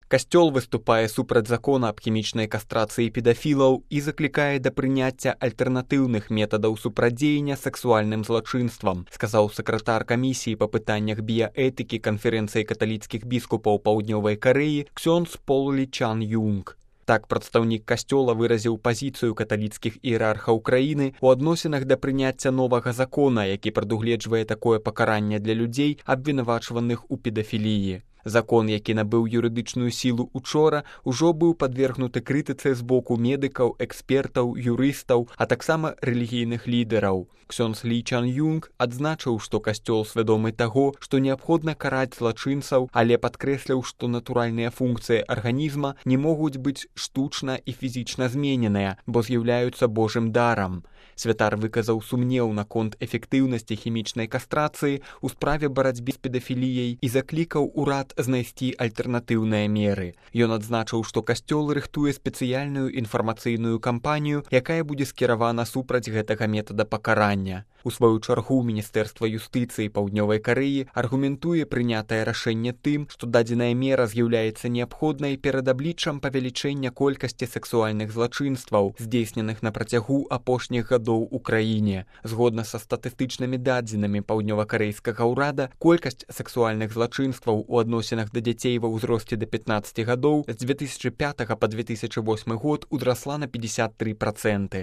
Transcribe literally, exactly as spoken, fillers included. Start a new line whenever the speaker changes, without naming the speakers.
Касцёл выступае супраць закона аб хімічнай кастрацыі педафілаў і заклікае да прыняцця альтэрнатыўных метадаў супрадзеяння сексуальным злачынствам, сказаў сакратар камісіі па пытаннях біяэтыкі канферэнцыі каталіцкіх біскупаў Паўднёвай Карэі ксёндз Пол Лі Чан Юнг. Так прадстаўнік касцёла выразіў пазіцыю каталіцкіх іерархаў краіны ў адносінах да прыняцця новага закона, які прадугледжвае такое пакаранне для людзей, абвінавачваных у педафіліі. Закон, які набыў юрыдычную сілу учора, ужо быў падвергнуты крытыцы з боку медыкаў, экспертаў, юрыстаў, а таксама рэлігійных лідараў. Ксёндз Лі Чан Юнг адзначыў, што касцёл свядомы таго, што неабходна караць злачынцаў, але падкрэсліў, што натуральныя функцыі арганізма не могуць быць штучна і фізічна змененыя, бо з'яўляюцца Божым дарам. Святар выказаў сумнеў наконт эфектыўнасці хімічнай кастрацыі ў справе барацьбы з педафіліяй і заклікаў урад знайсці альтэрнатыўныя меры. Ён адзначыў, што касцёл рыхтуе спецыяльную інфармацыйную кампанію, якая будзе скіравана супраць гэтага метада пакарання. У сваю чаргу Міністэрства юстыцыі Паўднёвай Карэі аргументуе прынятае рашэнне тым, што дадзеная мера з'яўляецца неабходнай перад абліччам павелічэння колькасці сексуальных злачынстваў, здзейсненых на працягу апошніх гадоў у краіне. Згодна са статыстычнымі дадзенымі паўднёвакарэйскага ўрада, колькасць сексуальных злачынстваў у адносінах да дзяцей ва ўзросце да пятнаццаці гадоў з дзве тысячы пятага па две тысячы восьмы год удрасла на пятьдесят три процента.